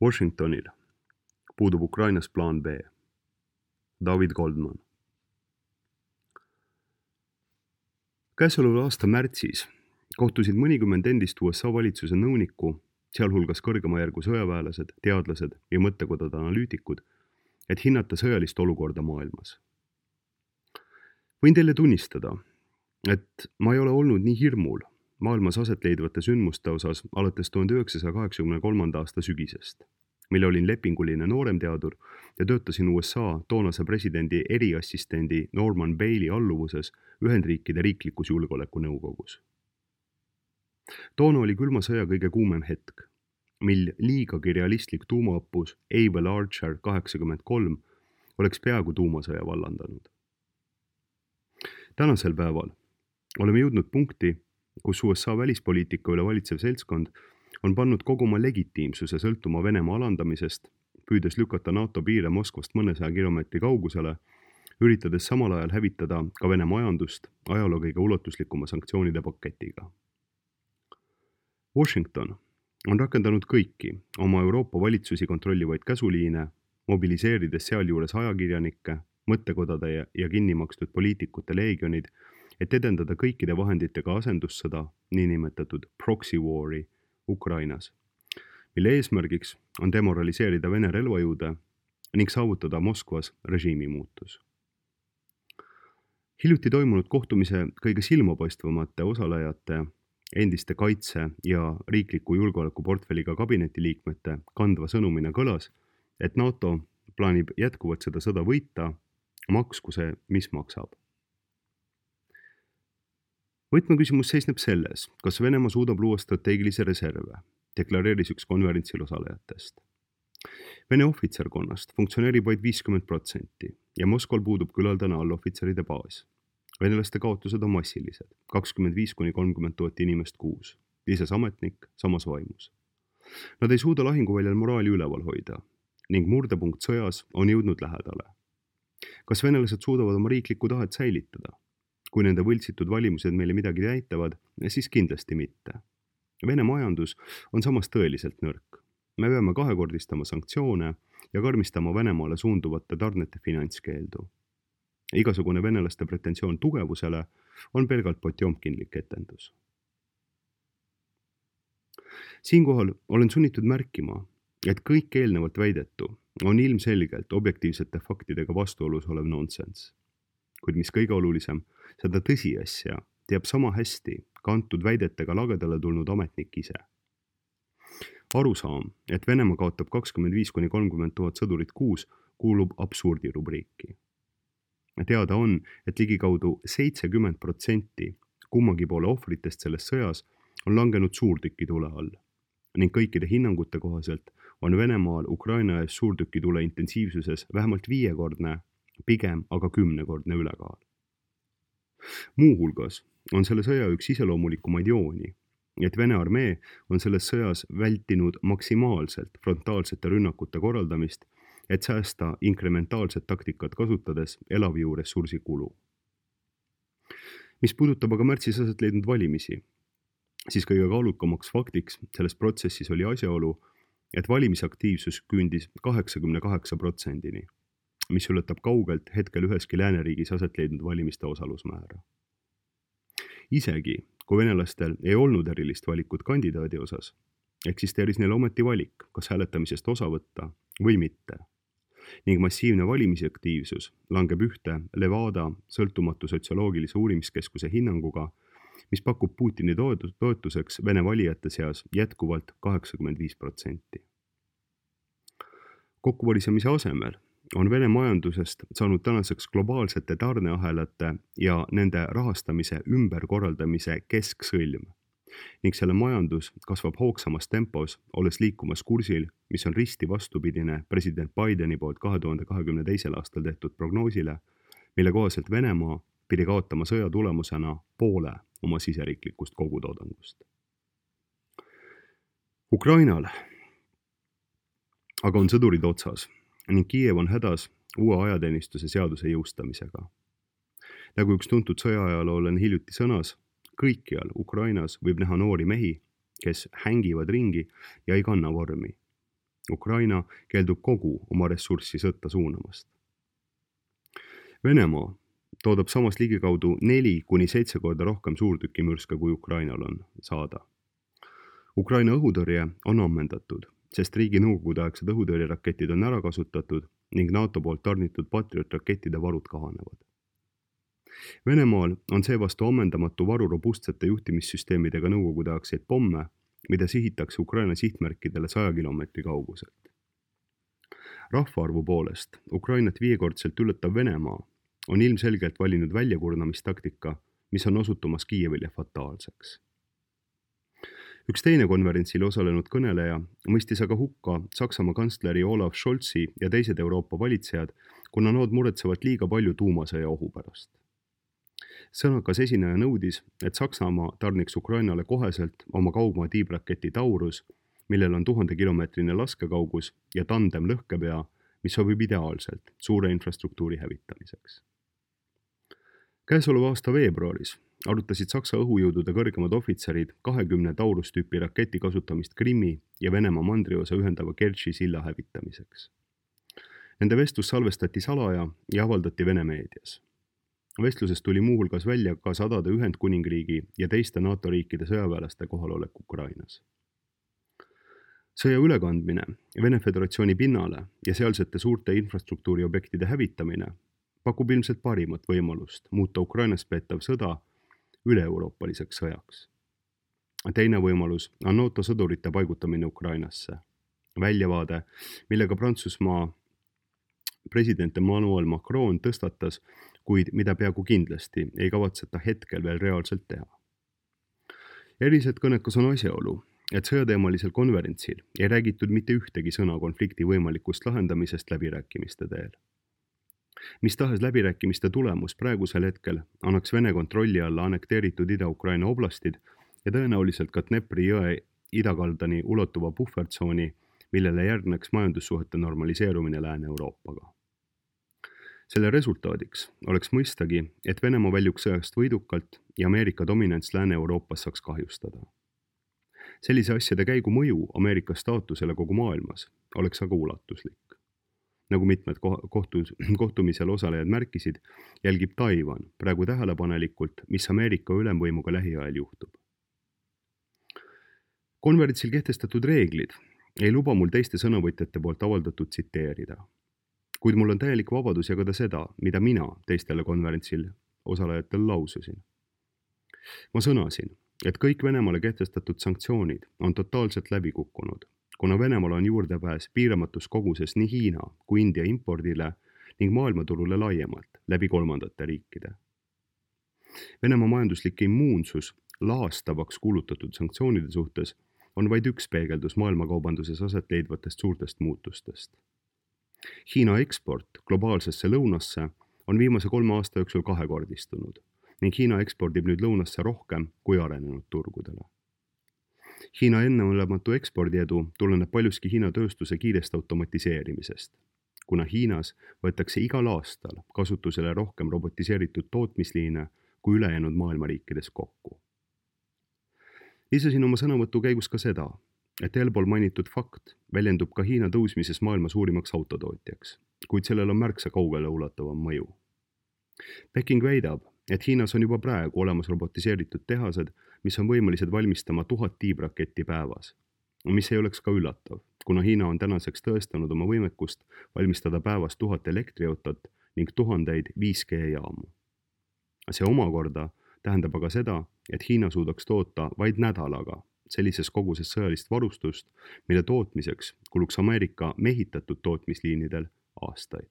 Washingtonil puudub Ukrainas plaan B. David Goldman. Käesoleva aasta märtsis kohtusid mõnikümmend endist USA valitsuse nõunikku, sealhulgas kõrgema järgu sõjaväelased, teadlased ja mõttekodade analüütikud, et hinnata sõjalist olukorda maailmas. Võin teile tunnistada, et ma ei ole olnud nii hirmul maailmas aset leidvate sündmuste osas alates 1983. aasta sügisest, mille olin lepinguline nooremteadur ja töötasin USA toonase presidendi eriassistendi Norman Bailey alluvuses Ühendriikide riiklikus julgeolekunõukogus. Toona oli külma sõja kõige kuumem hetk, mil liigagi realistlik tuumaõppus Able Archer 83 oleks peaaegu tuumasõja vallandanud. Tänasel päeval oleme jõudnud punkti, kus USA välispoliitika üle valitsev seltskond on pannud kogu oma legitiimsuse sõltuma Venemaa alandamisest, püüdes lükata NATO piire Moskvast mõnesaja kilomeetri kaugusele, üritades samal ajal hävitada ka Vene majandust ajaloo kõige ulatuslikuma sanktsioonide paketiga. Washington on rakendanud kõiki oma Euroopa valitsusi kontrollivaid käsuliine, mobiliseerides sealjuures ajakirjanikke, mõttekodade ja kinnimakstud poliitikute leegionid, et edendada kõikide vahenditega asendussõda, niinimetatud proxy war'i Ukrainas, mille eesmärgiks on demoraliseerida Vene relvajõude ning saavutada Moskvas režiimi muutus. Hiljuti toimunud kohtumise kõige silmapaistvamate osalejate, endiste kaitse- ja riikliku julgeolekuportfelliga kabinetiliikmete kandva sõnumina kõlas, et NATO plaanib jätkuvalt seda sõda võita, maksku see, mis maksab. Võtmeküsimus seisneb selles, kas Venemaa suudab luua strateegilise reserve, deklareeris üks konverentsil osalejatest. Vene ohvitserkonnast funktsioneerib vaid 50% ja Moskval puudub küllaldane allohvitseride baas. Venelaste kaotused on massilised, 25–30 000 inimest kuus, lisas ametnik samas vaimus. Nad ei suuda lahinguväljal moraali üleval hoida ning murdepunkt sõjas on jõudnud lähedale. Kas venelased suudavad oma riiklikku tahet säilitada? Kui nende võltsitud valimused meile midagi näitavad, siis kindlasti mitte. Vene majandus on samas tõeliselt nõrk. Me peame kahekordistama sanktsioone ja karmistama Venemaale suunduvate tarnete finantskeeldu. Igasugune venelaste pretensioon tugevusele on pelgalt potjomkinlik etendus. Siinkohal olen sunnitud märkima, et kõik eelnevalt väidetu on ilmselgelt objektiivsete faktidega vastuolus olev nonsense. Kuid mis kõige olulisem, seda tõsiasja teab sama hästi kantud väidetega lagedale tulnud ametnik ise. Arusaam, et Venemaa kaotab 25–30 000 sõdurit kuus, kuulub absurdi rubriiki. Teada on, et ligikaudu 70% kummagi poole ohvritest selles sõjas on langenud suurtükitule all ning kõikide hinnangute kohaselt on Venemaal Ukraina ees suurtükitule intensiivsuses vähemalt 5-kordne, pigem aga 10-kordne ülekaal. Muuhulgas on selle sõja üks iseloomulikumaid jooni, et Vene armee on selles sõjas vältinud maksimaalselt frontaalsete rünnakute korraldamist, et säästa inkrementaalset taktikat kasutades elavjõu ressursi kulu. Mis puudutab aga märtsis aset leidnud valimisi, siis kõige kaalukamaks faktiks selles protsessis oli asjaolu, et valimisaktiivsus küündis 88%-ni, mis ületab kaugelt hetkel üheski lääneriigis aset leidnud valimiste osalusmäära. Isegi, kui venelastel ei olnud erilist valikut kandidaadi osas, eksisteeris neil ometi valik, kas hääletamisest osa võtta või mitte. Ning massiivne valimisaktiivsus langeb ühte Levada sõltumatu sotsioloogilise uurimiskeskuse hinnanguga, mis pakub Putini toetuseks Vene valijate seas jätkuvalt 85%. Kokkuvarisemise asemel on Vene majandusest saanud tänaseks globaalsete tarneahelate ja nende rahastamise ümberkorraldamise kesksõlm ning selle majandus kasvab hoogsamas tempos, olles liikumas kursil, mis on risti vastupidine president Bideni poolt 2022. aastal tehtud prognoosile, mille kohaselt Venemaa pidi kaotama sõja tulemusena poole oma siseriiklikust kogutoodangust. Ukrainal aga on sõdurid otsas ning Kiiev on hädas uue ajateenistuse seaduse jõustamisega. Nagu üks tuntud sõjaajalooline hiljuti sõnas, kõikjal Ukrainas võib näha noori mehi, kes hängivad ringi ja ei kanna vormi. Ukraina keeldub kogu oma ressurssi sõtta suunamast. Venemaa toodab samas ligikaudu 4–7 korda rohkem suurtükimürske, kui Ukrainal on saada. Ukraina õhutõrje on ammendatud, sest riigi nõukogudeaegsed õhutõrjeraketid on ära kasutatud ning NATO poolt tarnitud Patriot-rakettide varud kahanevad. Venemaal on seevastu ammendamatu varu robustsete juhtimissüsteemidega nõukogudeaegseid pomme, mida sihitakse Ukraina sihtmärkidele 100 kilomeetri kauguselt. Rahvaarvu poolest Ukrainat 5-kordselt ületav Venemaa on ilmselgelt valinud väljakurnamistaktika, mis on osutumas Kiievile fataalseks. Üks teine konverentsil osalenud kõneleja mõistis aga hukka Saksamaa kantsleri Olaf Scholzi ja teised Euroopa valitsejad, kuna nad muretsevad liiga palju tuumasõja ohu pärast. Sõnakas esineja nõudis, et Saksamaa tarniks Ukrainale koheselt oma kaugmaa tiibraketi Taurus, millel on 1000-kilomeetrine laskekaugus ja tandem lõhkepea, mis sobib ideaalselt suure infrastruktuuri hävitamiseks. Käesoleva aasta veebruaris arutasid Saksa õhujõudude kõrgemad ohvitserid 20 Taurus-tüüpi raketi kasutamist Krimmi ja Venemaa mandriosa ühendava Kertši silla hävitamiseks. Nende vestlus salvestati salaja ja avaldati Vene meedias. Vestlusest tuli muuhulgas välja ka sadade Ühendkuningriigi ja teiste NATO riikide sõjaväelaste kohalolek Ukrainas. Sõja ülekandmine Vene Föderatsiooni pinnale ja sealsete suurte infrastruktuuriobjektide hävitamine pakub ilmselt parimat võimalust muuta Ukrainas peetav sõda üle-euroopaliseks sõjaks. Teine võimalus on NATO sõdurite paigutamine Ukrainasse. Väljavaade, millega Prantsusmaa president Emmanuel Macron tõstatas, kuid mida peaaegu kindlasti ei kavatseta hetkel veel reaalselt teha. Eriliselt kõnekas on asjaolu, et sõjateemalisel konverentsil ei räägitud mitte ühtegi sõna konflikti võimalikust lahendamisest läbirääkimiste teel. Mis tahes läbirääkimiste tulemus praegusel hetkel annaks Vene kontrolli alla annekteeritud Ida-Ukraina oblastid ja tõenäoliselt ka Dnepri jõe idakaldani ulatuva puhvertsooni, millele järgneks majandussuhete normaliseerumine Lääne-Euroopaga. Selle resultaadiks oleks mõistagi, et Venemaa väljuks sõjast võidukalt ja Ameerika dominants Lääne-Euroopas saaks kahjustada. Sellise asjade käigu mõju Ameerika staatusele kogu maailmas oleks aga ulatuslik. Nagu mitmed kohtumisel osalejad märkisid, jälgib Taiwan praegu tähelepanelikult, mis Ameerika ülemvõimuga lähiajal juhtub. Konverentsil kehtestatud reeglid ei luba mul teiste sõnavõtjate poolt avaldatud tsiteerida. Kuid mul on täielik vabadus jagada seda, mida mina teistele konverentsil osalejatel laususin. Ma sõnasin, et kõik Venemaale kehtestatud sanktsioonid on totaalselt läbi kukkunud, kuna Venemaal on juurdepääs piiramatus koguses nii Hiina kui India impordile ning maailmaturule laiemalt läbi kolmandate riikide. Venemaa majanduslik immuunsus laastavaks kuulutatud sanktsioonide suhtes on vaid üks peegeldus maailmakaubanduses aset leidvatest suurtest muutustest. Hiina eksport globaalsesse lõunasse on viimase 3 aasta jooksul kahekordistunud ning Hiina ekspordib nüüd lõunasse rohkem kui arenenud turgudele. Hiina enneolematu ekspordiedu tuleneb paljuski Hiina tööstuse kiirest automatiseerimisest, kuna Hiinas võetakse igal aastal kasutusele rohkem robotiseeritud tootmisliine kui ülejäänud maailma riikides kokku. Lisasin oma sõnavõtu käigus ka seda, et eelpool mainitud fakt väljendub ka Hiina tõusmises maailma suurimaks autotootjaks, kuid sellel on märksa kaugele ulatavam mõju. Peking väidab, et Hiinas on juba praegu olemas robotiseeritud tehased, mis on võimelised valmistama 1000 tiibraketti päevas, mis ei oleks ka üllatav, kuna Hiina on tänaseks tõestanud oma võimekust valmistada päevas 1000 elektriautot ning 1000 5G-jaamu. See omakorda tähendab aga seda, et Hiina suudaks toota vaid nädalaga sellises koguses sõjalist varustust, mille tootmiseks kuluks Ameerika mehitatud tootmisliinidel aastaid.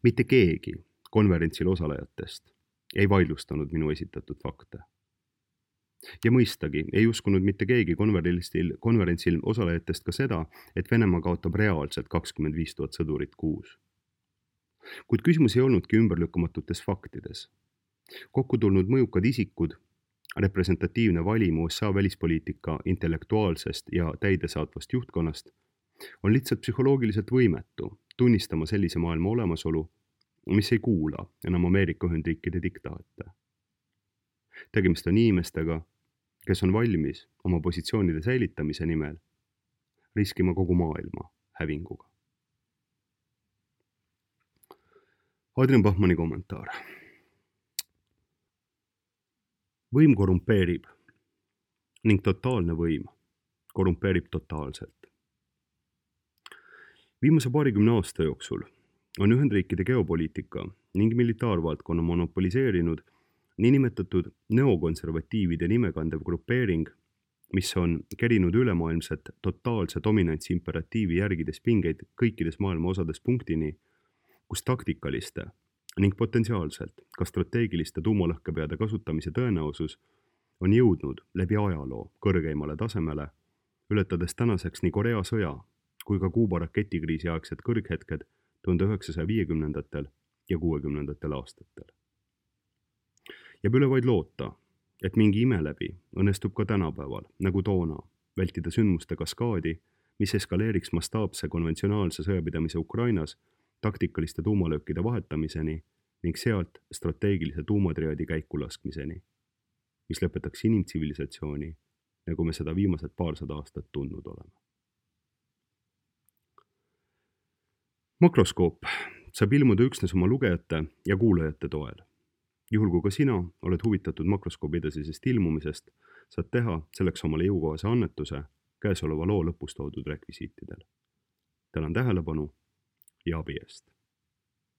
Mitte keegi konverentsil osalejatest ei vaidlustanud minu esitatud fakte. Ja mõistagi ei uskunud mitte keegi konverentsil osalejatest ka seda, et Venemaa kaotab reaalselt 25 000 sõdurit kuus. Kuid küsimus ei olnudki ümberlükkamatutes faktides. Kokku tulnud mõjukad isikud, representatiivne valim USA välispoliitika intellektuaalsest ja täidesaatvast juhtkonnast on lihtsalt psühholoogiliselt võimetu tunnistama sellise maailma olemasolu, mis ei kuula enam Ameerika Ühendriikide diktaate. Tegemist on inimestega, kes on valmis oma positsioonide säilitamise nimel riskima kogu maailma hävinguga. Adrian Bachmanni kommentaar. Võim korrumpeerib ning totaalne võim korrumpeerib totaalselt. Viimase paarikümne aasta jooksul on Ühendriikide geopoliitika ning militaarvaldkonna monopoliseerinud niinimetatud neokonservatiivide nimekandev grupeering, mis on kerinud ülemaailmset totaalse dominantsi imperatiivi järgides pingeid kõikides maailma osades punktini, kus taktikaliste ning potentsiaalselt ka strateegiliste tuumalõhkepeade kasutamise tõenäosus on jõudnud läbi ajaloo kõrgeimale tasemele, ületades tänaseks nii Korea sõja kui ka Kuuba raketikriisi aegsed kõrghetked 1950ndatel ja 60ndatel aastatel. Jääb üle vaid loota, et mingi ime läbi õnnestub ka tänapäeval, nagu toona, vältida sündmuste kaskaadi, mis eskaleeriks mastaapse konventsionaalse sõjapidamise Ukrainas taktikaliste tuumalöökide vahetamiseni ning sealt strateegilise tuumatriaadi käikulaskmiseni, mis lõpetaks inimtsivilisatsiooni, nagu me seda viimased paarsada aastat tundnud oleme. Makroskoop saab ilmuda üksnes oma lugejate ja kuulajate toel. Juhul kui ka sina oled huvitatud makroskoobi edasisest ilmumisest, saad teha selleks omale jõukohase annetuse käesoleva loo lõpus toodud rekvisiitidel. Tänan tähelepanu ja abi eest!